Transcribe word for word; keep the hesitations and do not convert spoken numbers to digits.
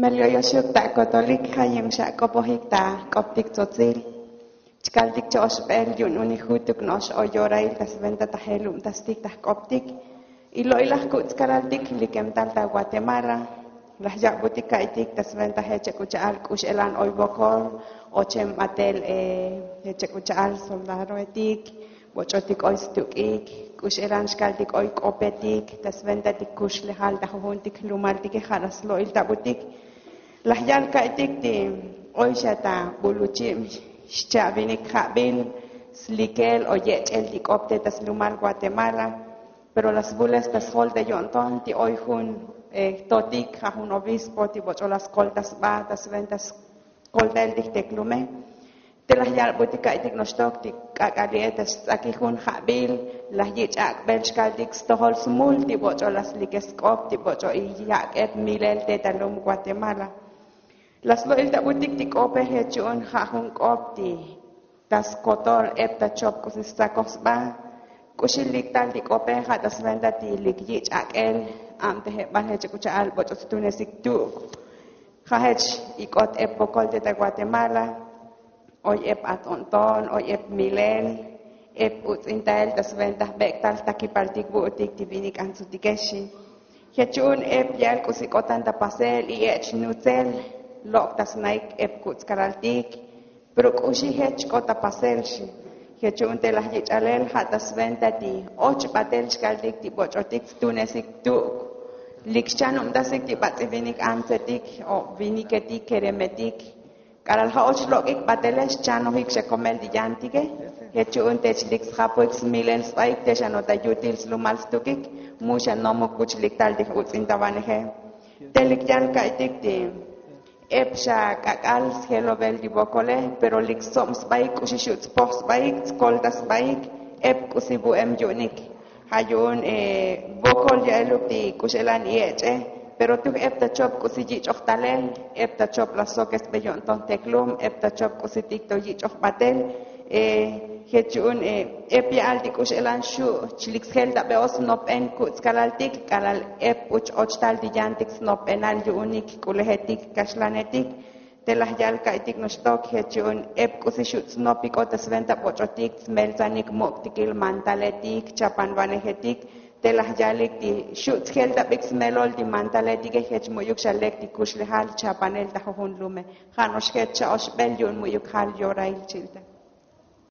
Melioyoxuk ta kotolik jayem xak'opojik ta jk'optik tzotzil. Chkaltik cha'oxbel yu'un unik jutuk no'ox oy yorail ta sventa ta jelubtastik ta jk'optik. Ilo'ilaj kutz'kalaltik likem tal ta guatemala. Laj ya'butik ka'iytik ta sventa jech chek'ucha'al k'ux elan oy vokol, ochem batel jech chek'ucha'al soldadoetik, boch'otik oy stuk'ik, k'ux elan xkaltik oy k'opetik ta sventa ti kuxlejal ta jujuntik jlumaltike ja' laj slo'il tabutik. Laj yal ka'iytik ti oy xa ta buluchib xcha'vinik ja'bil slikel o yech'el ti k'op te ta slumal guatemala. Pero laj svules ta sjol te yo'nton ti oy jun jtotik ja' jun obispo ti boch'o laj skol ta sba ta sventa skoltael ti jteklume. Te laj yalbutik ka'iytik noxtok ti k'ak'ali'e ta sts'akij jun ja'bil laj yich' ak'bel chkaltik stojol smul ti boch'o laj slikej sk'op ti boch'o iyak'eb milel te ta lum guatemala. Laj slo'il tabutik ti k'ope jech yu'un ja' jun k'op ti ta skotol eb ta chop k'usi stsakoj sba. K'uxi lik tal ti k'ope ja' ta sventa ti lik yich' ak'el, ab te jebal jech chek'ucha'al boch'o stunesik tuk'. Ja' jech ik'ot eb vokol te ta guatemala. Oy eb atz'o'nton, oy eb milel, eb utz'intael ta sventa jbek'tal jtakipaltik vu'utik ti vinik antsutike xi. Jech yu'un eb ya'el k'usi k'otan ta pasel y ech nutzel lok' ta snaik eb kutz'kalaltik. Pero k'uxi jech k'ot ta pasel xi. Jech yu'un te laj yich'alel ja' ta sventa ti och batel chkaltik ti boch'otik stunesik tuk'. Lik xchanubtasik ti bats'i vinik antsetik o viniketik keremetik. K'alal ja' och lok'ik batele xchanojik xa komel ti yantike. Jech yu'un te chlik sjapuik smilel sbaik te xanota yutil slumal stukik mu xa nomuk buch lik tal ti j'uts'intavaneje. Te lik yal ka'iytik ti eb xa k'ak'al sjelovel ti vokole, pero lik stsob sbaik k'uxi xu' tspoj sbaik tskolta sbaik eb k'usi vu'em yu'unik. Ja' yu'un vokol ya'eluk ti k'ux elan iech'e. Pero tuj eb ta chop k'usi yich'oj talel, eb ta chop laj sokesbe yo'nton teklum, eb ta chop k'usitik to yich'oj batel. Jech yu'un eb ya'al ti k'ux elan xu' chlik sjeltabeoj snopben kutz'kalaltik k'alal eb buch och tal ti yantik snopbenal yu'unik jk'ulejetik kaxlanetik. Te laj yal ka'iytik noxtok jech yu'un eb k'usi xu' tsnopik'o ta sventa boch'otik tsmeltsanik muk'tikil mantaletik chapanvanejetik. Te laj yalik ti xu' tsjeltabik smelol ti mantaletike jech mu'yuk xa lek ti kuxlejal chapanel ta jujun lume. Ja' no'ox jech cha'oxbel yu'un mu'yuk jal yorail chilta.